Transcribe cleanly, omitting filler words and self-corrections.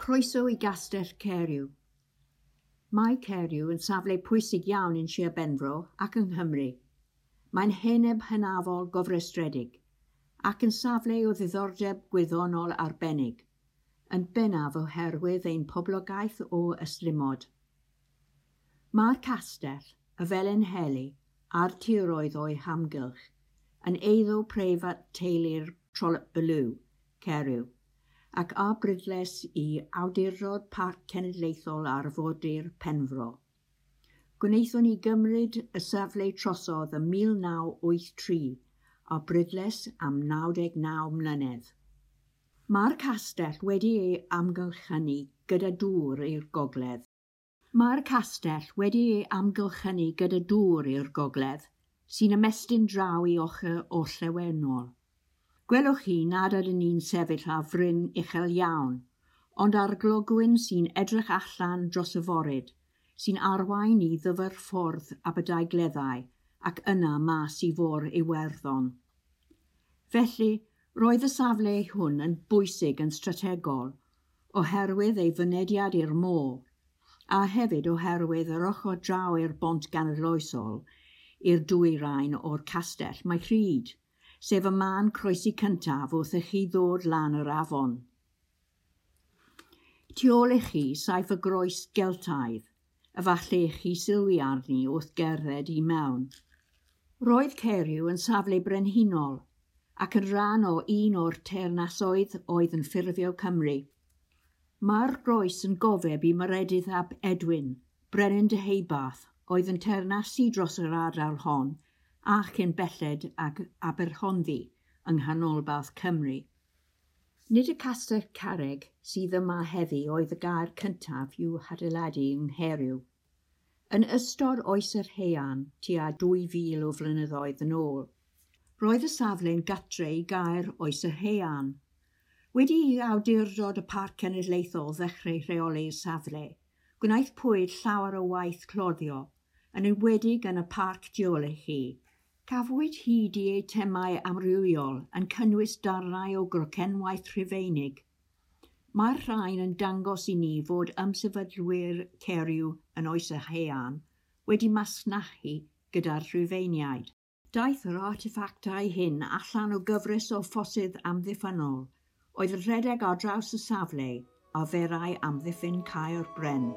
Croeso i Gastell Caeriw. Mae Caeriw yn safle pwysig iawn yn Sir Benfro ac yng Nghymru. Mae'n heneb hynafol gofrestredig ac yn safle o ddiddordeb gwyddonol arbennig, yn bennaf oherwydd ein poblogaeth o ystlumod. Mae'r castell, y Felinheli a'r tiroedd o'i hamgylch yn eiddo preifat teulu'r Trollope Bellew, Caeriw, ac ar brydles i Awdurdod Parc Cenedlaethol Arfordir Penfro. Gwnaethon ni gymryd y safle trosodd ym 1983 ar brydles am 99 mlynedd. Mae'r castell wedi ei amgylchynu gyda dŵr i'r gogledd. Mae'r castell wedi ei amgylchynu gyda dŵr i'r gogledd, sy'n ymestyn draw i ochr orllewinol. Gwelwch chi nad ydyn ni'n sefyll ar fryn uchel iawn, ond ar glogwyn sy'n edrych allan dros y foryd, sy'n arwain i ddyfrffordd Aberdaugleddau ac yna mas i fôr Iwerddon. Felly, roedd y safle hwn yn bwysig yn strategol oherwydd ei fynediad i'r môr, a hefyd oherwydd yr ochr draw i'r bont ganoloesol i'r dwyrain o'r castell mae rhyd, sef y man croesi cyntaf wrth i chi ddod lan yr afon. Tu ôl i chi saif y groes Geltaidd, efallai i chi sylwi arni wrth gerdded i mewn. Roedd Caeriw yn safle brenhinol ac yn rhan o un o'r teyrnasoedd oedd yn ffurfio Cymru. Mae'r groes yn gofeb i Maredudd ap Edwin, brenin Deheubarth, oedd yn teyrnasu dros yr ardal hon a chyn belled ag Aberhonddu yng nghanolbarth Cymru. Nid y castell carreg sydd yma heddi oedd y gaer cyntaf i'w hadeiladu yng Nghaeriw. Yn ystod oes yr Haearn, tua 2,000 o flynyddoedd yn ôl, roedd y safle'n gatre i gaer oes yr Haearn. Wedi i awdurdod y Parc Cenedlaethol ddechrau rheoli'r safle, gwnaethpwyd llawer o waith cloddio, yn enwedig yn y parc tu ôl i chi. Cafwyd hyd i eitemau amrywiol yn cynnwys darnau o grocenwaith Rhufeinig. Mae'r rhain yn dangos i ni fod ymsefydlwyr Caeriw yn oes yr Haearn wedi masnachu gyda'r Rhufeiniaid. Daeth yr arteffactau hyn allan o gyfres o ffosydd amddiffynnol oedd yn rhedeg ar draws y safle arferai amddiffyn Caer Bren.